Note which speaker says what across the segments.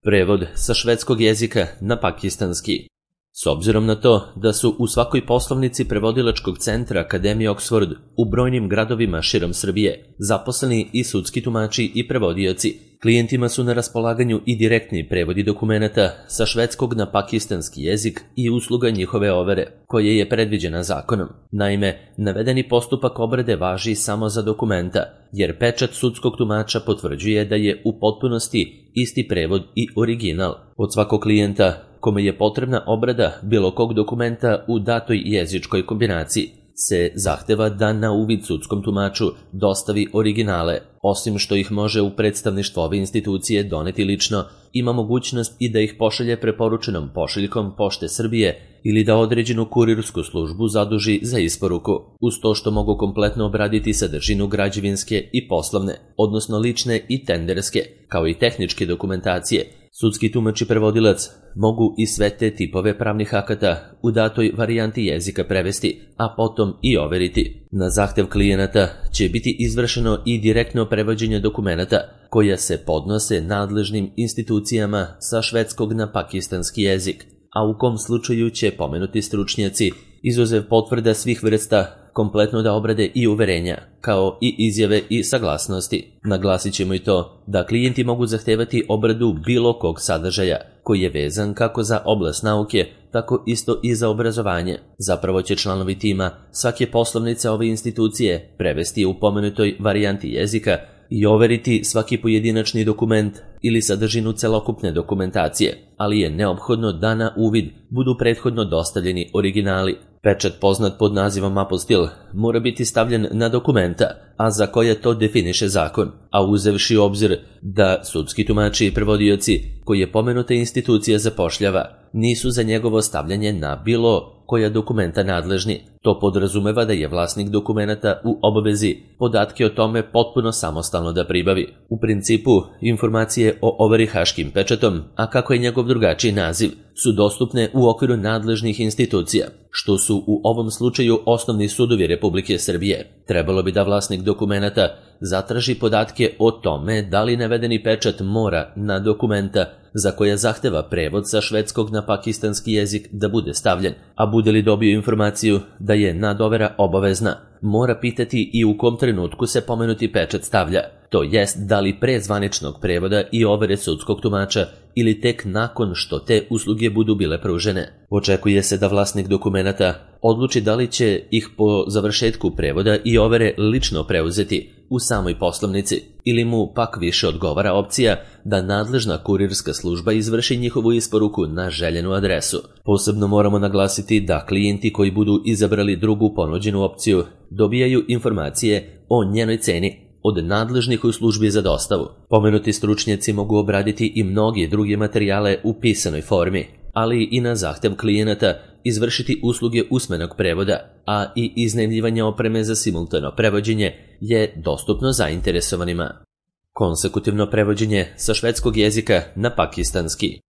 Speaker 1: Prevod sa švedskog jezika na pakistanski. S obzirom na to da su u svakoj poslovnici prevodilačkog centra Akademije Oxford u brojnim gradovima širom Srbije zaposleni i sudski tumači i prevodioci, klijentima su na raspolaganju i direktni prevodi dokumenata sa švedskog na pakistanski jezik i usluga njihove overe, koje je predviđena zakonom. Naime, navedeni postupak obrade važi samo za dokumenta, jer pečat sudskog tumača potvrđuje da je u potpunosti isti prevod i original. Od svakog klijenta kome je potrebna obrada bilo kog dokumenta u datoj jezičkoj kombinaciji se zahteva da na uvid sudskom tumaču dostavi originale. Osim što ih može u predstavništvo ove institucije doneti lično, ima mogućnost i da ih pošalje preporučenom pošiljkom Pošte Srbije ili da određenu kurirsku službu zaduži za isporuku, uz to što mogu kompletno obraditi sadržinu građevinske i poslovne, odnosno lične i tenderske, kao i tehničke dokumentacije. Sudski tumač i prevodilac mogu i sve te tipove pravnih akata u datoj varijanti jezika prevesti, a potom i overiti. Na zahtev klijenata će biti izvršeno i direktno prevođenje dokumenata koja se podnose nadležnim institucijama sa švedskog na pakistanski jezik, a u kom slučaju će pomenuti stručnjaci, izuzev potvrda svih vrsta, kompletno da obrade i uverenja, kao i izjave i saglasnosti. Naglasit ćemo i to da klijenti mogu zahtevati obradu bilo kog sadržaja koji je vezan kako za oblast nauke, tako isto i za obrazovanje. Zapravo će članovi tima svake poslovnice ove institucije prevesti u pomenutoj varijanti jezika i overiti svaki pojedinačni dokument ili sadržinu celokupne dokumentacije, ali je neophodno da na uvid budu prethodno dostavljeni originali. Pečat poznat pod nazivom apostil mora biti stavljen na dokumenta, a za koje to definiše zakon, a uzevši u obzir da sudski tumači i prevodioci koje pomenuta institucija zapošljava nisu za njegovo stavljanje na bilo koja dokumenta nadležni. To podrazumeva da je vlasnik dokumenata u obavezi podatke o tome potpuno samostalno da pribavi. U principu, informacije o overi haškim pečatom, a kako je njegov drugačiji naziv, su dostupne u okviru nadležnih institucija, što su u ovom slučaju osnovni sudovi Republike Srbije. Trebalo bi da vlasnik dokumenata zatraži podatke o tome da li navedeni pečat mora na dokumenta za koja zahteva prevod sa švedskog na pakistanski jezik da bude stavljen, a bude li dobio informaciju da je nadovera obavezna, mora pitati i u kom trenutku se pomenuti pečat stavlja, to jest da li pre zvaničnog prevoda i overe sudskog tumača ili tek nakon što te usluge budu bile pružene. Očekuje se da vlasnik dokumenata odluči da li će ih po završetku prevoda i overe lično preuzeti u samoj poslovnici ili mu pak više odgovara opcija da nadležna kurirska služba izvrši njihovu isporuku na željenu adresu. Posebno moramo naglasiti da klijenti koji budu izabrali drugu ponuđenu opciju dobijaju informacije o njenoj ceni od nadležnih u službi za dostavu. Pomenuti stručnjaci mogu obraditi i mnogi druge materijale u pisanoj formi, ali i na zahtev klijenata izvršiti usluge usmenog prevoda, a i iznajmljivanje opreme za simultano prevođenje je dostupno zainteresovanima. Konsekutivno prevođenje sa švedskog jezika na pakistanski.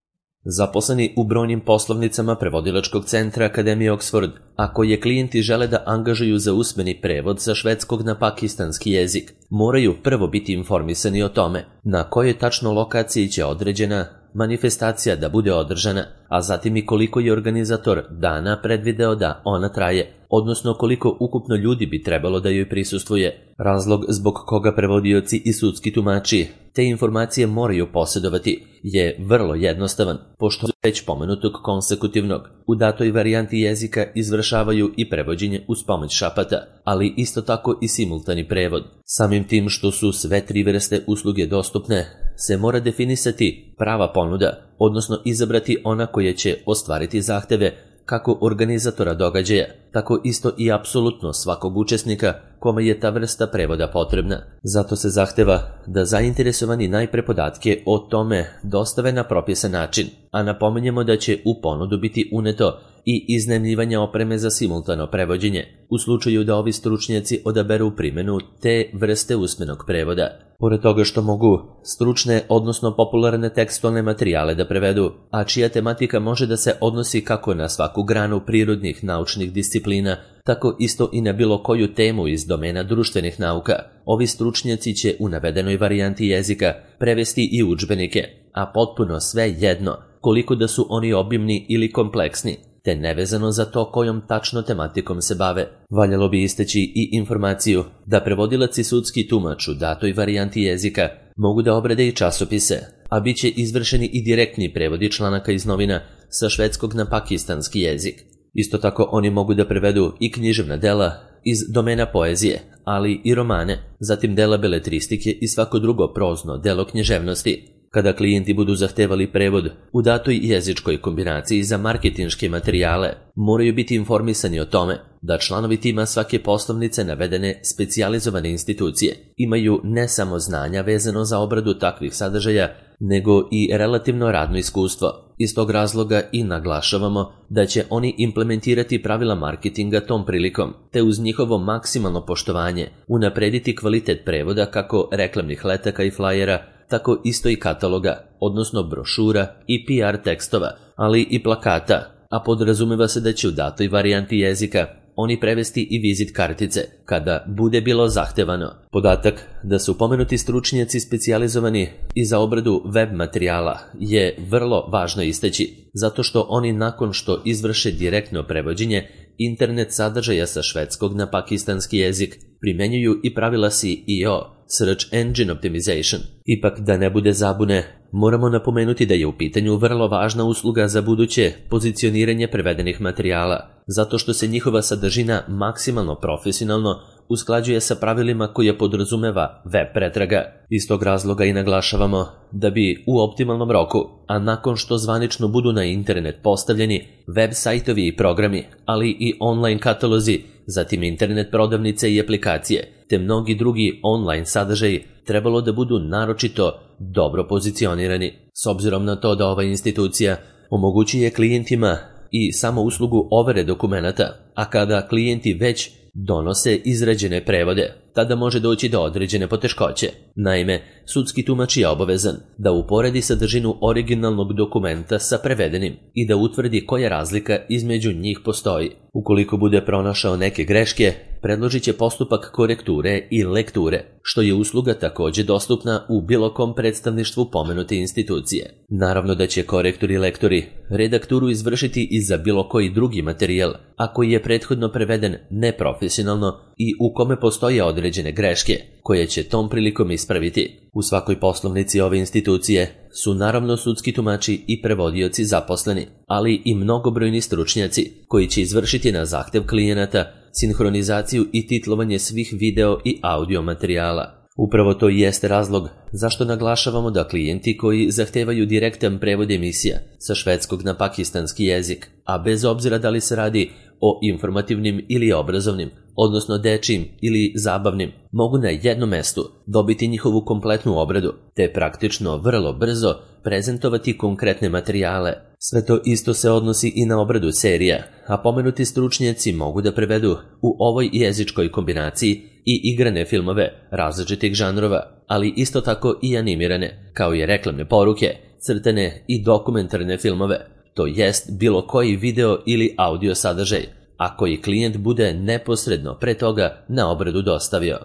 Speaker 1: Zaposleni u brojnim poslovnicama prevodilačkog centra Akademije Oxford, a koje klijenti žele da angažuju za usmeni prevod sa švedskog na pakistanski jezik, moraju prvo biti informisani o tome na kojoj tačno lokaciji će određena manifestacija da bude održana, a zatim i koliko je organizator dana predvideo da ona traje, odnosno koliko ukupno ljudi bi trebalo da joj prisustvuje. Razlog zbog koga prevodioci i sudski tumači te informacije moraju posjedovati je vrlo jednostavan, pošto već pomenutog konsekutivnog u datoj varijanti jezika izvršavaju i prevođenje uz pomoć šapata, ali isto tako i simultani prevod. Samim tim što su sve tri vrste usluge dostupne, se mora definisati prava ponuda, odnosno izabrati ona koja će ostvariti zahteve kako organizatora događaja, tako isto i apsolutno svakog učesnika kome je ta vrsta prevoda potrebna. Zato se zahteva da zainteresovani najpre podatke o tome dostave na propisan način, a napominjemo da će u ponudu biti uneto i iznajmljivanje opreme za simultano prevođenje, u slučaju da ovi stručnjaci odaberu primjenu te vrste usmenog prevoda. Pored toga što mogu stručne, odnosno popularne tekstualne materijale da prevedu, a čija tematika može da se odnosi kako na svaku granu prirodnih naučnih disciplina, tako isto i na bilo koju temu iz domena društvenih nauka, ovi stručnjaci će u navedenoj varijanti jezika prevesti i udžbenike, a potpuno sve jedno koliko da su oni obimni ili kompleksni, te nevezano za to kojom tačno tematikom se bave. Valjalo bi istaći i informaciju da prevodilac i sudski tumač u datoj varijanti jezika mogu da obrade i časopise, a bit će izvršeni i direktni prevodi članaka iz novina sa švedskog na pakistanski jezik. Isto tako oni mogu da prevedu i književna dela iz domena poezije, ali i romane, zatim dela beletristike i svako drugo prozno delo književnosti. Kada klijenti budu zahtevali prevod u datoj jezičkoj kombinaciji za marketinške materijale, moraju biti informisani o tome da članovi tima svake poslovnice navedene specijalizovane institucije imaju ne samo znanja vezano za obradu takvih sadržaja, nego i relativno radno iskustvo. Iz tog razloga i naglašavamo da će oni implementirati pravila marketinga tom prilikom, te uz njihovo maksimalno poštovanje unaprediti kvalitet prevoda kako reklamnih letaka i flajera, tako isto i kataloga, odnosno brošura i PR tekstova, ali i plakata, a podrazumeva se da će u datoj varijanti jezika oni prevesti i vizit kartice, kada bude bilo zahtevano. Podatak da su pomenuti stručnjaci specijalizovani i za obradu web materijala je vrlo važno istaći, zato što oni nakon što izvrše direktno prevođenje internet sadržaja sa švedskog na pakistanski jezik, primenjuju i pravila SEO, Search Engine Optimization. Ipak da ne bude zabune, moramo napomenuti da je u pitanju vrlo važna usluga za buduće pozicioniranje prevedenih materijala, zato što se njihova sadržina maksimalno profesionalno usklađuje sa pravilima koje podrazumeva web pretraga. Iz tog razloga i naglašavamo da bi u optimalnom roku, a nakon što zvanično budu na internet postavljeni web sajtovi i programi, ali i online katalozi, zatim internet prodavnice i aplikacije, te mnogi drugi online sadržaji trebalo da budu naročito dobro pozicionirani. S obzirom na to da ova institucija omogućuje klijentima i samo uslugu overe dokumenata, a kada klijenti već donose izrađene prevode, tada može doći do određene poteškoće. Naime, sudski tumač je obavezan da uporedi sadržinu originalnog dokumenta sa prevedenim i da utvrdi koja razlika između njih postoji. Ukoliko bude pronašao neke greške, predložit će postupak korekture i lekture, što je usluga također dostupna u bilo kom predstavništvu pomenute institucije. Naravno da će korektori i lektori redakturu izvršiti i za bilo koji drugi materijal, a koji je prethodno preveden neprofesionalno i u kome postoje određene greške, koje će tom prilikom ispraviti. U svakoj poslovnici ove institucije su naravno sudski tumači i prevodioci zaposleni, ali i mnogobrojni stručnjaci koji će izvršiti na zahtev klijenata sinhronizaciju i titlovanje svih video i audio materijala. Upravo to i jeste razlog zašto naglašavamo da klijenti koji zahtevaju direktan prevod emisija sa švedskog na pakistanski jezik, a bez obzira da li se radi o informativnim ili obrazovnim, odnosno dečijim ili zabavnim, mogu na jednom mestu dobiti njihovu kompletnu obradu, te praktično vrlo brzo prezentovati konkretne materijale. Sve to isto se odnosi i na obradu serija, a pomenuti stručnjaci mogu da prevedu u ovoj jezičkoj kombinaciji i igrane filmove različitih žanrova, ali isto tako i animirane, kao i reklamne poruke, crtane i dokumentarne filmove, to jest bilo koji video ili audio sadržaj, a koji klijent bude neposredno pre toga na obradu dostavio.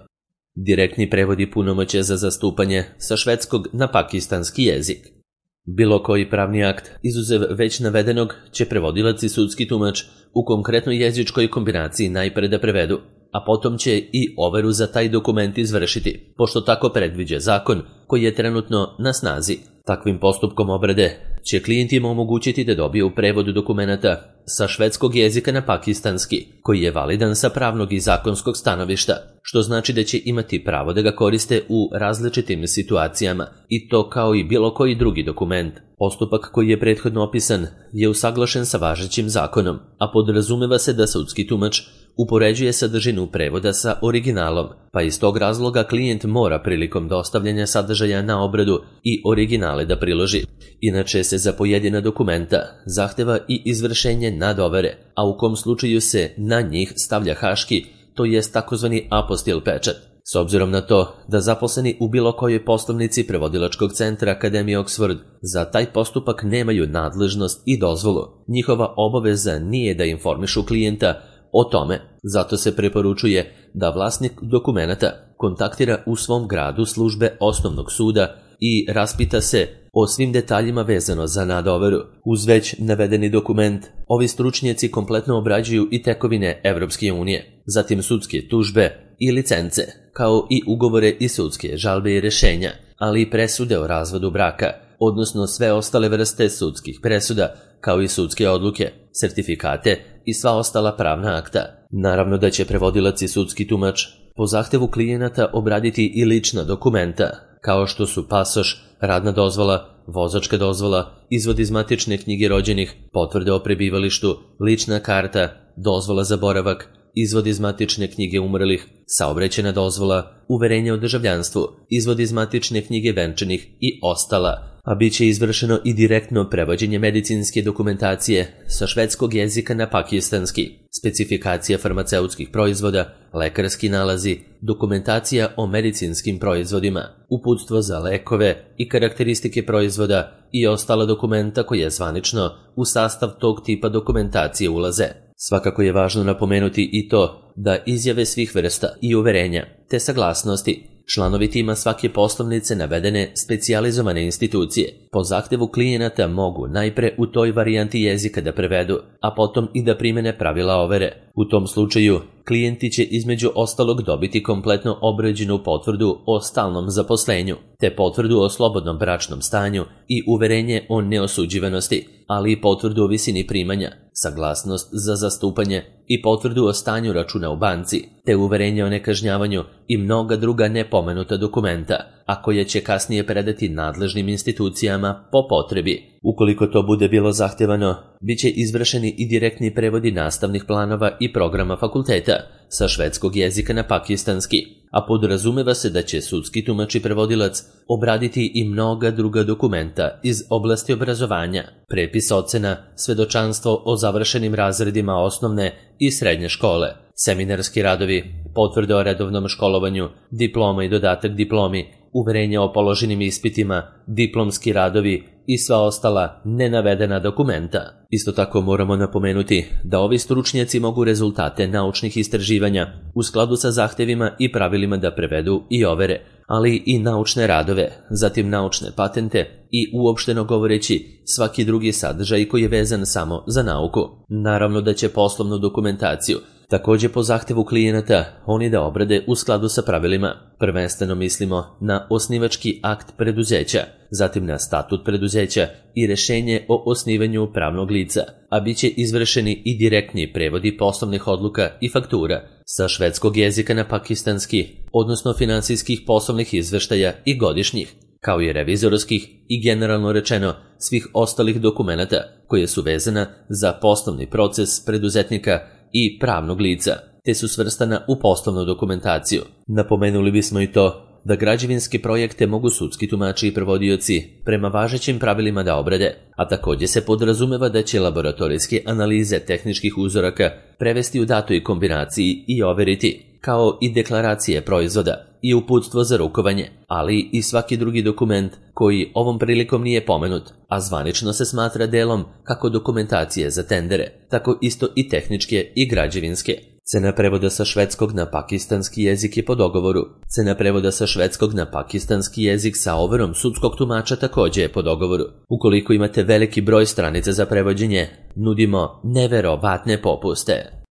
Speaker 1: Direktni prevodi punomoćja za zastupanje sa švedskog na pakistanski jezik. Bilo koji pravni akt, izuzev već navedenog, će prevodilac i sudski tumač u konkretnoj jezičkoj kombinaciji najpre da prevedu, a potom će i overu za taj dokument izvršiti, pošto tako predviđa zakon koji je trenutno na snazi. Takvim postupkom obrade će klijentima omogućiti da dobiju prevod dokumenata sa švedskog jezika na pakistanski, koji je validan sa pravnog i zakonskog stanovišta, što znači da će imati pravo da ga koriste u različitim situacijama, i to kao i bilo koji drugi dokument. Postupak koji je prethodno opisan je usaglašen sa važećim zakonom, a podrazumeva se da sudski tumač upoređuje sadržinu prevoda sa originalom, pa iz tog razloga klijent mora prilikom dostavljanja sadržaja na obradu i originale da priloži. Inače se za pojedina dokumenta zahteva i izvršenje nadovere, a u kom slučaju se na njih stavlja haški, to jest takozvani apostil pečat. S obzirom na to da zaposleni u bilo kojoj poslovnici prevodilačkog centra Akademije Oxford za taj postupak nemaju nadležnost i dozvolu, njihova obaveza nije da informišu klijenta o tome, zato se preporučuje da vlasnik dokumenata kontaktira u svom gradu službe osnovnog suda i raspita se o svim detaljima vezano za nadoveru. Uz već navedeni dokument, ovi stručnjaci kompletno obrađuju i tekovine Evropske unije, zatim sudske tužbe i licence, kao i ugovore i sudske žalbe i rešenja, ali i presude o razvodu braka, odnosno sve ostale vrste sudskih presuda, kao i sudske odluke, sertifikate i sva ostala pravna akta. Naravno da će prevodilac i sudski tumač po zahtevu klijenata obraditi i lična dokumenta, kao što su pasoš, radna dozvola, vozačka dozvola, izvod iz matične knjige rođenih, potvrde o prebivalištu, lična karta, dozvola za boravak, izvod iz matične knjige umrlih, saobraćajna dozvola, uverenje o državljanstvu, izvod iz matične knjige venčanih i ostala, a bit će izvršeno i direktno prevođenje medicinske dokumentacije sa švedskog jezika na pakistanski, specifikacija farmaceutskih proizvoda, lekarski nalazi, dokumentacija o medicinskim proizvodima, uputstvo za lekove i karakteristike proizvoda i ostala dokumenta koja zvanično u sastav tog tipa dokumentacije ulaze. Svakako je važno napomenuti i to da izjave svih vrsta i uverenja, te saglasnosti, članovi tima svake poslovnice navedene specijalizovane institucije po zahtevu klijenata mogu najpre u toj varijanti jezika da prevedu, a potom i da primene pravila overe. U tom slučaju, klijenti će između ostalog dobiti kompletno obrađenu potvrdu o stalnom zaposlenju, te potvrdu o slobodnom bračnom stanju i uverenje o neosuđivanosti, ali i potvrdu o visini primanja, saglasnost za zastupanje i potvrdu o stanju računa u banci, te uverenje o nekažnjavanju i mnoga druga nepomenuta dokumenta, a koje će kasnije predati nadležnim institucijama po potrebi. Ukoliko to bude bilo zahtevano, bit će izvršeni i direktni prevodi nastavnih planova i programa fakulteta sa švedskog jezika na pakistanski, a podrazumeva se da će sudski tumač i prevodilac obraditi i mnoga druga dokumenta iz oblasti obrazovanja, prepis ocena, svedočanstvo o završenim razredima osnovne i srednje škole, seminarski radovi, potvrde o redovnom školovanju, diploma i dodatak diplomi, uverenja o položenim ispitima, diplomski radovi i sva ostala nenavedena dokumenta. Isto tako moramo napomenuti da ovi stručnjaci mogu rezultate naučnih istraživanja u skladu sa zahtevima i pravilima da prevedu i overe, ali i naučne radove, zatim naučne patente i uopšteno govoreći svaki drugi sadržaj koji je vezan samo za nauku. Naravno da će poslovnu dokumentaciju također po zahtevu klijenata oni da obrade u skladu sa pravilima. Prvenstveno mislimo na osnivački akt preduzeća, zatim na statut preduzeća i rešenje o osnivanju pravnog lica, a bit će izvršeni i direktni prevodi poslovnih odluka i faktura sa švedskog jezika na pakistanski, odnosno finansijskih poslovnih izveštaja i godišnjih, kao i revizorskih i generalno rečeno svih ostalih dokumenata koje su vezana za poslovni proces preduzetnika i pravnog lica, te su svrstana u poslovnu dokumentaciju. Napomenuli bismo i to da građevinske projekte mogu sudski tumači i prevodioci prema važećim pravilima da obrade, a također se podrazumeva da će laboratorijske analize tehničkih uzoraka prevesti u datoj kombinaciji i overiti, kao i deklaracije proizvoda i uputstvo za rukovanje, ali i svaki drugi dokument koji ovom prilikom nije pomenut, a zvanično se smatra delom kako dokumentacije za tendere, tako isto i tehničke i građevinske. Cena prevoda sa švedskog na pakistanski jezik je po dogovoru. Cena prevoda sa švedskog na pakistanski jezik sa overom sudskog tumača također je po dogovoru. Ukoliko imate veliki broj stranica za prevođenje, nudimo neverovatne popuste.